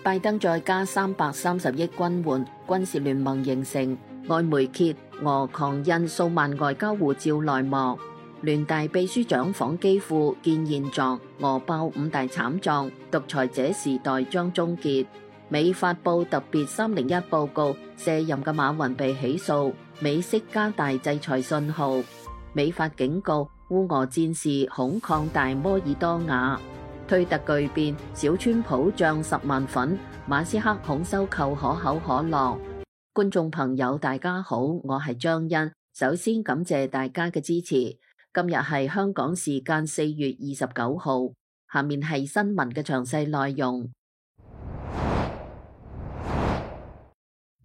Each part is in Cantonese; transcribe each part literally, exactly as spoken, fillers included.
拜登再加三百三十億軍援，軍事聯盟形成。外媒揭俄狂印數萬外交護照內幕。聯大秘書長訪基輔見現狀，俄爆五大慘狀，獨裁者時代將終結。美發布特別三零一報告，卸任嘅馬雲被起訴。美式加大制裁信號。美發警告烏俄戰事恐擴大摩爾多瓦。推特巨變，小川普漲十萬粉，馬斯克恐收購可口可樂。觀眾朋友大家好，我係張欣，首先感謝大家嘅支持。今日係香港時間四月二十九號，下面係新聞嘅詳細內容。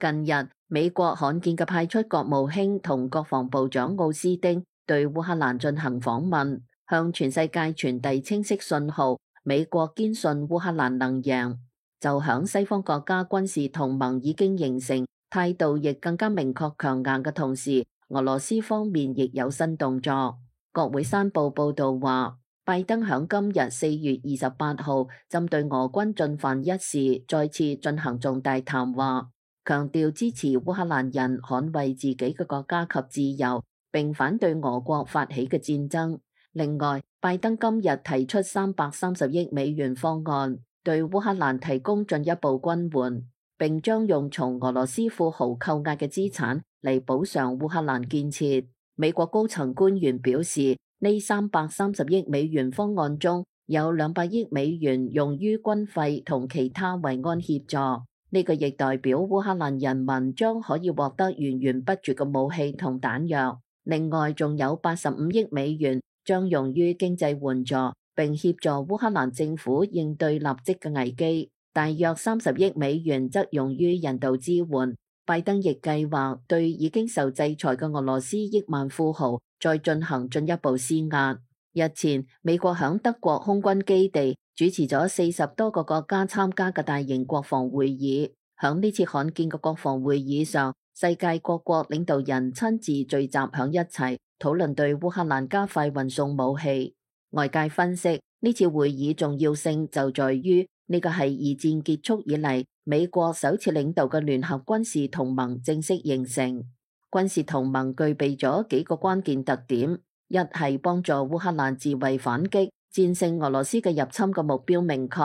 近日，美國罕見嘅派出國務卿同國防部長奧斯汀對烏克蘭進行訪問，向全世界傳遞清晰信號。美國堅信烏克蘭能贏，就響西方國家軍事同盟已經形成，態度亦更加明確強硬嘅同時，俄羅斯方面亦有新動作。國會山報報道話，拜登響今日四月二十八號針對俄軍進犯一事再次進行重大談話，強調支持烏克蘭人捍衛自己嘅國家及自由，並反對俄國發起嘅戰爭。另外，拜登今日提出三百三十億美元方案，對烏克蘭提供進一步軍援，並將用從俄羅斯富豪扣押嘅資產嚟補償烏克蘭建設。美國高層官員表示，呢三百三十億美元方案中有兩百億美元用於軍費同其他維安協助，呢、這個亦代表烏克蘭人民將可以獲得源源不絕嘅武器同彈藥。另外，仲有八十五億美元將用於經濟援助，並協助烏克蘭政府應對立即嘅危機。大約三十億美元則用於人道支援。拜登亦計劃對已經受制裁嘅俄羅斯億萬富豪再進行進一步施壓。日前，美國響德國空軍基地主持咗四十多個國家參加嘅大型國防會議。響呢次罕見嘅國防會議上，世界各國領導人親自聚集響一齊，討論對烏克蘭加快運送武器。外界分析，呢次會議重要性就在於呢個係二戰結束以嚟美國首次領導嘅聯合軍事同盟正式形成。軍事同盟具備咗幾個關鍵特點：一係幫助烏克蘭自衛反擊，戰勝俄羅斯嘅入侵嘅目標明確；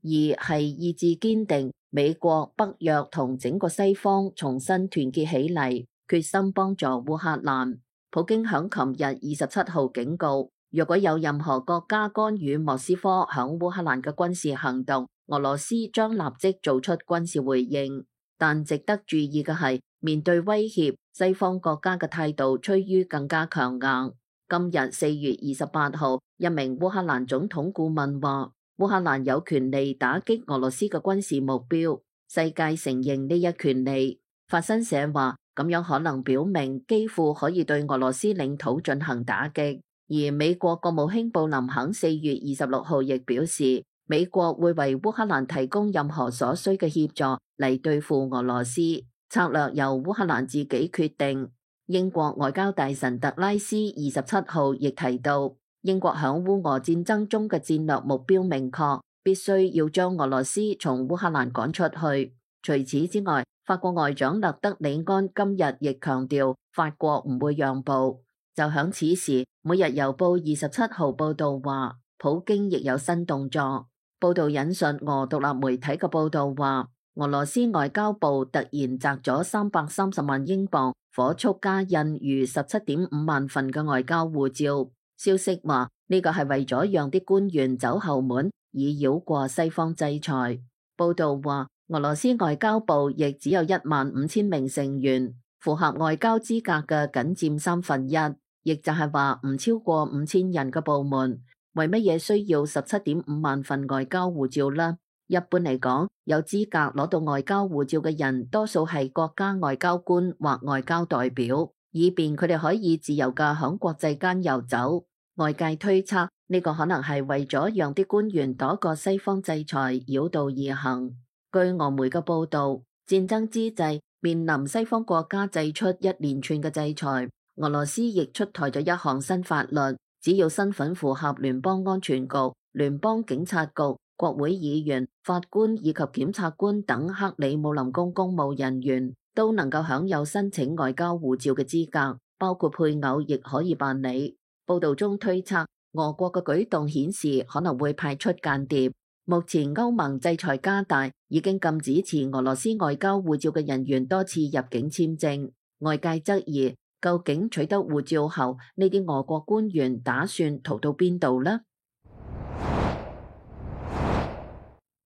二係意志堅定，美國、北約同整個西方重新團結起嚟，決心幫助烏克蘭。普京響琴日二十七號警告，若果有任何國家干預莫斯科響烏克蘭嘅軍事行動，俄羅斯將立即做出軍事回應。但值得注意嘅係，面對威脅，西方國家嘅態度趨於更加強硬。今日四月二十八號，一名烏克蘭總統顧問話，烏克蘭有權利打擊俄羅斯嘅軍事目標，世界承認呢一權利。法新社話，咁樣可能表明基輔可以對俄羅斯領土進行打擊。而美國國務卿布林肯四月二十六號亦表示，美國會為烏克蘭提供任何所需嘅協助嚟對付俄羅斯，策略由烏克蘭自己決定。英國外交大臣特拉斯二十七號亦提到，英國響烏俄戰爭中嘅戰略目標明確，必須要將俄羅斯從烏克蘭趕出去。除此之外，法國外長勒德里安今日亦強調，法國唔會讓步。就響此時，每日郵報二十七號報道話，普京亦有新動作。報道引述俄獨立媒體嘅報道話，俄羅斯外交部突然擲咗三百三十萬英鎊，火速加印逾十七點五萬份嘅外交護照。消息話呢個係為咗讓啲官員走後門，以繞過西方制裁。報道話，俄羅斯外交部亦只有一萬五千名成員，符合外交資格嘅僅佔三分一，亦就係話唔超過五千人嘅部門。為乜嘢需要十七點五萬份外交護照呢？一般嚟講，有資格攞到外交護照嘅人，多數係國家外交官或外交代表，以便佢哋可以自由嘅響國際間遊走。外界推測呢個可能係為咗讓啲官員躲過西方制裁，繞道而行。據俄媒嘅報道，戰爭之際面臨西方國家祭出一連串嘅制裁，俄羅斯亦出台咗一項新法律，只要身份符合聯邦安全局、聯邦警察局、國會議員、法官以及檢察官等克里姆林宮公務人員都能夠享有申請外交護照嘅資格，包括配偶亦可以辦理。報道中推測，俄國嘅舉動顯示可能會派出間諜。目前歐盟制裁加大，已經禁止持俄羅斯外交護照嘅人員多次入境簽證。外界質疑，究竟取得護照後，呢啲俄國官員打算逃到邊度呢？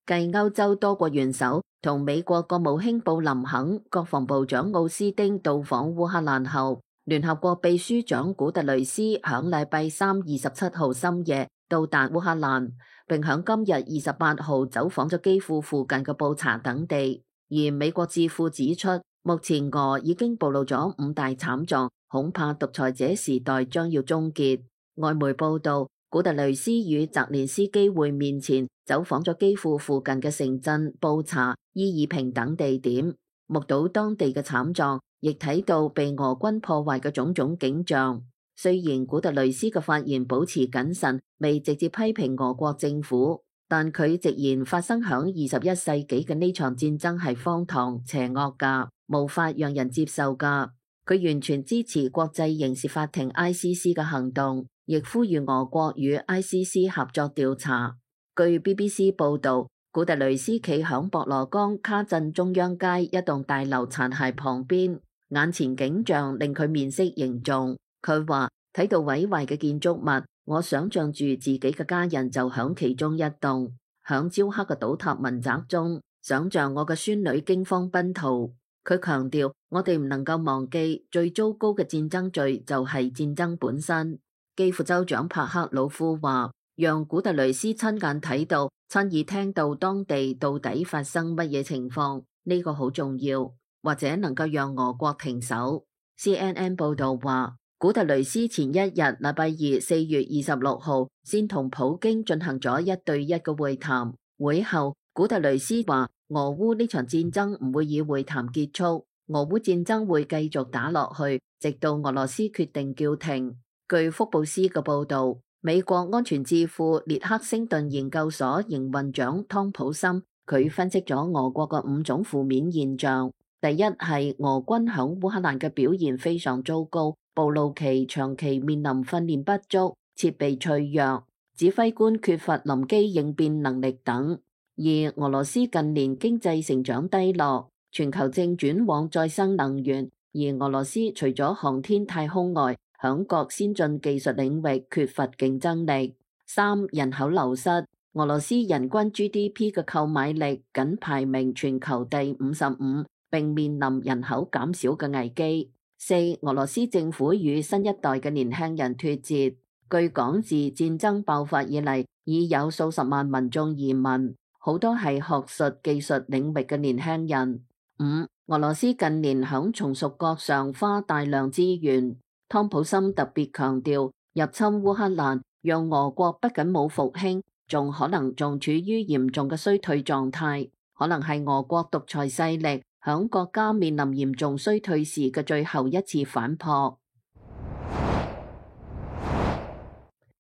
繼歐洲多國元首同美國國務卿布林肯、國防部長奧斯丁到訪烏克蘭後，聯合國秘書長古特雷斯響禮拜三二十七號深夜到達烏克蘭，並響今日二十八號走訪咗基輔附近嘅布查等地。而美國智庫指出，目前俄已經暴露咗五大慘狀，恐怕獨裁者時代將要終結。外媒報道，古特雷斯與澤連斯基會面前，走訪咗基輔附近嘅城鎮布查、伊爾平等地點，目睹當地嘅慘狀，亦睇到被俄軍破壞嘅種種景象。雖然古特雷斯嘅發言保持謹慎，未直接批評俄國政府，但佢直言發生響二十一世紀嘅呢場戰爭係荒唐、邪惡噶，無法讓人接受噶。佢完全支持國際刑事法庭 I C C 嘅行動，亦呼籲俄國與 I C C 合作調查。據 B B C 報導，古特雷斯企響博羅江卡鎮中央街一棟大樓殘骸旁邊，眼前景象令佢面色凝重。佢話睇到毀壞嘅建築物，我想象住自己嘅家人就響其中一棟，響焦黑嘅倒塌民宅中，想象我嘅孫女驚慌奔逃。佢強調，我哋唔能夠忘記最糟糕嘅戰爭罪就係戰爭本身。基輔州長帕克魯夫話，讓古特雷斯親眼睇到、親耳聽到當地到底發生乜嘢情況，呢個好重要，或者能夠讓俄國停手。C N N 報道話，古特雷斯前一日禮拜二四月二十六號先同普京進行咗一對一嘅會談，會後古特雷斯話，俄烏呢場戰爭唔會以會談結束，俄烏戰爭會繼續打落去，直到俄羅斯決定叫停。據福布斯嘅報導，美國安全智庫列克星頓研究所營運長湯普森，佢分析咗俄國嘅五種負面現象。第一係俄軍響烏克蘭嘅表現非常糟糕，暴露其長期面臨訓練不足、設備脆弱、指揮官缺乏臨機應變能力等。而俄羅斯近年經濟成長低落，全球正轉往再生能源，而俄羅斯除咗航天太空外，響各先進技術領域缺乏競爭力。三、人口流失，俄羅斯人均 G D P 嘅購買力僅排名全球第五十五，並面臨人口減少嘅危機。四、俄羅斯政府與新一代嘅年輕人脫節，據講自戰爭爆發以嚟，已有數十萬民眾移民。好多係學術技術領域嘅年輕人。五、俄羅斯近年響從屬國上花大量資源。湯普森特別強調，入侵烏克蘭讓俄國不僅冇復興，仲可能仲處於嚴重嘅衰退狀態，可能係俄國獨裁勢力響國家面臨嚴重衰退時嘅最後一次反撲。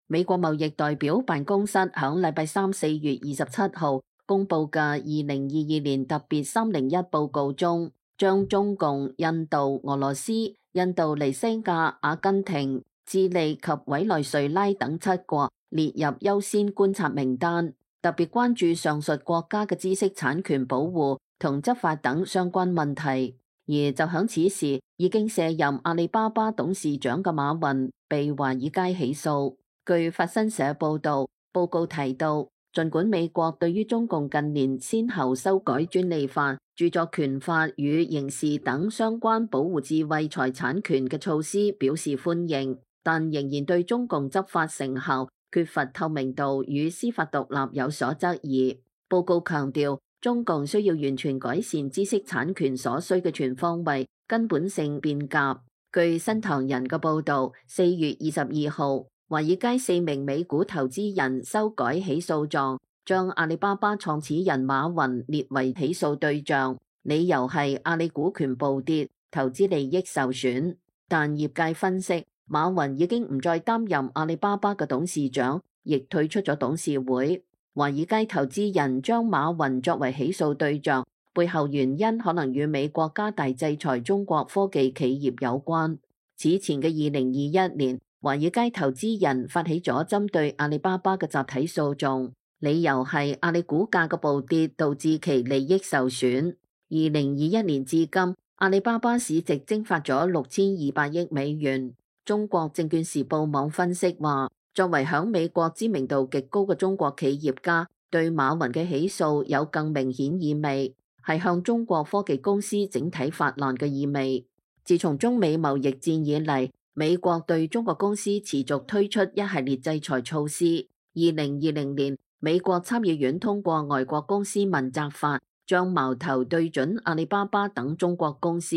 美國貿易代表辦公室響禮拜三四月二十七號公布嘅二零二二年特別三零一報告中，將中共、印度、俄羅斯、印度尼西亞、阿根廷、智利及委內瑞拉等七國列入優先觀察名單，特別關注上述國家嘅知識產權保護同執法等相關問題。而就響此時，已經卸任阿里巴巴董事長嘅馬雲被華爾街起訴。據法新社報導，報告提到，儘管美國對於中共近年先後修改專利法、著作權法與刑事等相關保護智慧財產權嘅措施表示歡迎，但仍然對中共執法成效缺乏透明度與司法獨立有所質疑。報告強調，中共需要完全改善知識產權所需嘅全方位、根本性變革。據新唐人嘅報導，四月二十二號，華爾街四名美股投資人修改起訴狀，將阿里巴巴創始人馬雲列為起訴對象，理由係阿里股權暴跌，投資利益受損。但業界分析，馬雲已經唔再擔任阿里巴巴嘅董事長，亦退出咗董事會。華爾街投資人將馬雲作為起訴對象，背後原因可能與美國加大制裁中國科技企業有關。此前嘅二零二一年，華爾街投資人發起咗針對阿里巴巴嘅集體訴訟，理由係阿里股價嘅暴跌導致其利益受損。二零二一年至今，阿里巴巴市值蒸發咗六千二百億美元。中國證券時報網分析話，作為響美國知名度極高嘅中國企業家，對馬雲嘅起訴有更明顯意味，係向中國科技公司整體發難嘅意味。自從中美貿易戰以嚟，美國對中國公司持續推出一系列制裁措施。二零二零年，美國參議院通過外國公司問責法，將矛頭對準阿里巴巴等中國公司。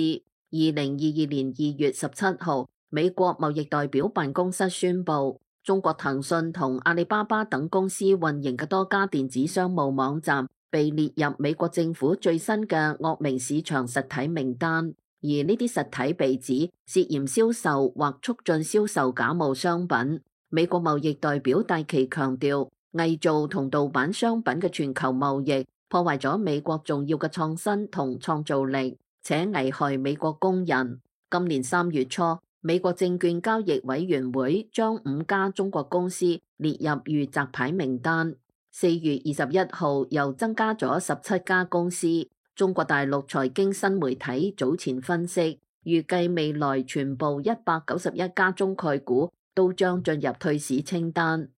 二零二二年二月十七號，美國貿易代表辦公室宣布，中國騰訊同阿里巴巴等公司運營嘅多家電子商務網站被列入美國政府最新嘅惡名市場實體名單，而呢啲實體被指涉嫌銷售或促進銷售假冒商品。美國貿易代表戴琪強調，偽造同盜版商品嘅全球貿易破壞咗美國重要嘅創新同創造力，且危害美國工人。今年三月初，美國證券交易委員會將五家中國公司列入預責牌名單。四月二十一號又增加咗十七家公司。中國大陸財經新媒體早前分析，預計未來全部一百九十一家中概股都將進入退市清單。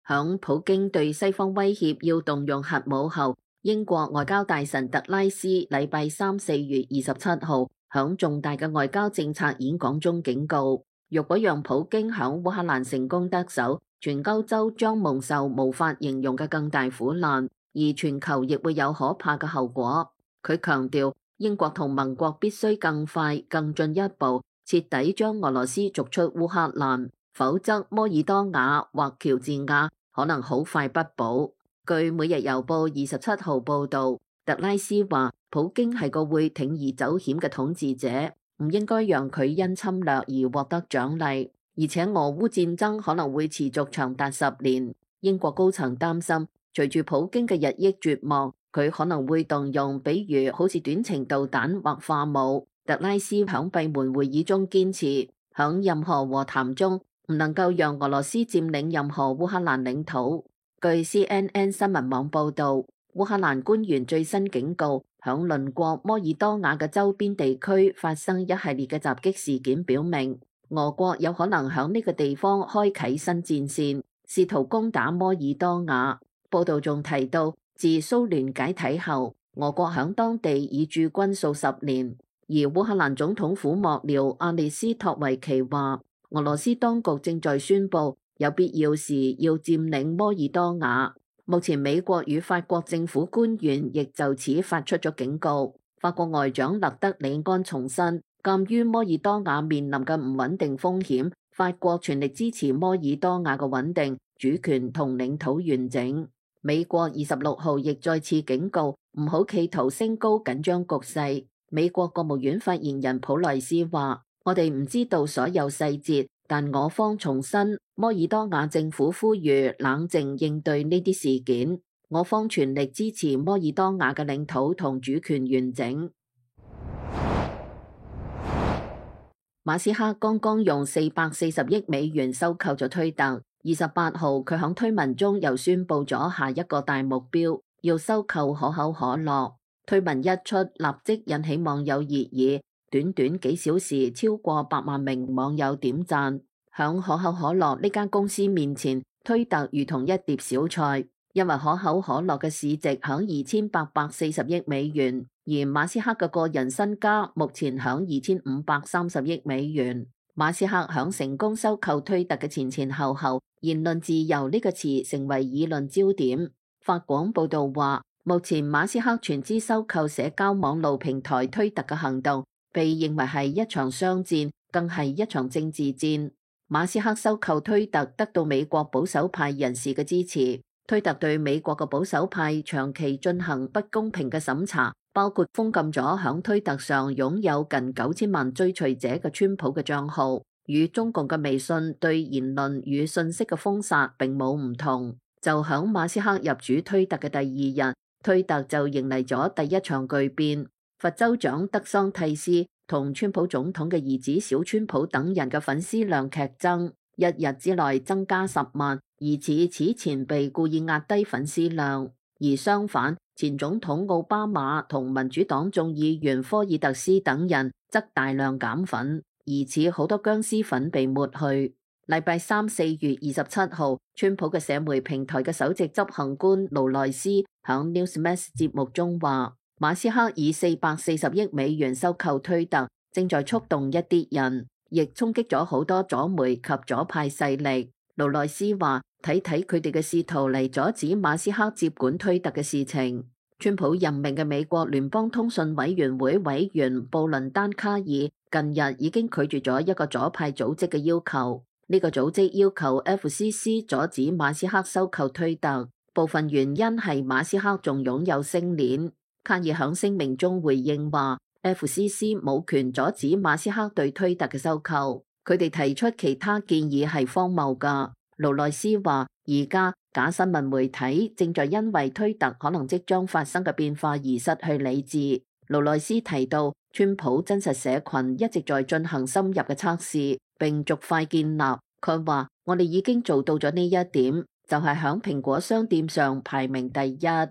響普京對西方威脅要動用核武後，英國外交大臣特拉斯禮拜三四月二十七號響重大嘅外交政策演講中警告，若果讓普京響烏克蘭成功得手，全歐洲將蒙受無法形容嘅更大苦難，而全球亦會有可怕嘅後果。佢強調，英國同盟國必須更快、更進一步，徹底將俄羅斯逐出烏克蘭，否則摩爾多瓦或喬治亞可能好快不保。據每日郵報二十七號報導，特拉斯話：普京係個會鋌而走險嘅統治者，唔應該讓佢因侵略而獲得獎勵。而且俄烏戰爭可能會持續長達十年。英國高層擔心，隨住普京嘅日益絕望，佢可能會動用，比如好似短程導彈或化武。特拉斯響閉門會議中堅持，響任何和談中唔能夠讓俄羅斯佔領任何烏克蘭領土。據 C N N 新聞網報導，烏克蘭官員最新警告，響鄰國摩爾多瓦嘅周邊地區發生一系列嘅襲擊事件，表明俄國有可能響呢個地方開啟新戰線，試圖攻打摩爾多瓦。報導仲提到，自蘇聯解體後，俄國響當地已駐軍數十年。而烏克蘭總統府幕僚阿列斯托維奇話，俄羅斯當局正在宣布有必要時要佔領摩爾多瓦。目前美國與法國政府官員亦就此發出咗警告。法國外長勒德里安重申，鑑於摩爾多瓦面臨嘅唔穩定風險，法國全力支持摩爾多瓦嘅穩定、主權同領土完整。美國二十六號亦再次警告，唔好企圖升高緊張局勢。美國國務院發言人普萊斯話：我哋唔知道所有細節，但我方重申，摩爾多瓦政府呼籲冷靜應對呢啲事件。我方全力支持摩爾多瓦嘅領土同主權完整。馬斯克剛剛用四百四十億美元收購咗推特。二十八號，佢響推文中又宣布咗下一個大目標，要收購可口可樂。推文一出，立即引起網友熱議，短短幾小時，超過百萬名網友點讚。響可口可樂呢間公司面前，推特如同一碟小菜，因為可口可樂嘅市值響二千八百四十億美元，而馬斯克嘅個人身家目前響二千五百三十億美元。馬斯克響成功收購推特嘅前前後後，言論自由呢個詞成為議論焦點。法廣報道話，目前馬斯克全資收購社交網絡平台推特嘅行動，被認為係一場商戰，更係一場政治戰。馬斯克收購推特得到美國保守派人士嘅支持。推特對美國嘅保守派長期進行不公平嘅審查，包括封禁咗響推特上擁有近九千萬追隨者嘅川普嘅賬號。與中共嘅微信對言論與信息嘅封殺並冇唔同。就響馬斯克入主推特嘅第二日，推特就迎嚟咗第一場巨變。佛州長德桑蒂斯同川普總統嘅兒子小川普等人嘅粉絲量劇增，一日之內增加十萬，疑似此前被故意壓低粉絲量。而相反，前總統奧巴馬同民主黨眾議員科爾特斯等人則大量減粉，疑似好多僵屍粉被抹去。禮拜三四月二十七號，川普嘅社媒平台嘅首席執行官勞萊斯響 Newsmax 節目中話，馬斯克以四百四十億美元收購推特，正在觸動一啲人，亦衝擊咗好多左媒及左派勢力。勞萊斯話，睇睇佢哋嘅試圖嚟阻止馬斯克接管推特嘅事情。川普任命嘅美國聯邦通訊委員會委員布倫丹卡爾近日已經拒絕咗一個左派組織嘅要求。呢個組織要求 F C C 阻止馬斯克收購推特，部分原因係馬斯克仲擁有星鏈。卡爾響聲明中回應話 ，F C C 冇權阻止馬斯克對推特嘅收購。佢哋提出其他建議係荒謬㗎。勞萊斯話，而家假新聞媒體正在因為推特可能即將發生嘅變化而失去理智。勞萊斯提到，川普真實社群一直在進行深入嘅測試，並逐塊建立。佢話：我哋已經做到咗呢一點，就係響蘋果商店上排名第一。呢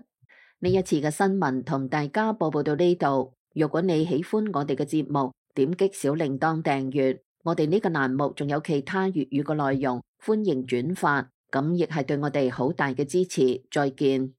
一次嘅新聞同大家播報到呢度。如果你喜歡我哋嘅節目，點擊小鈴鐺訂閱。我哋呢個欄目仲有其他粵語嘅內容，歡迎轉發，咁亦係對我哋好大嘅支持。再見。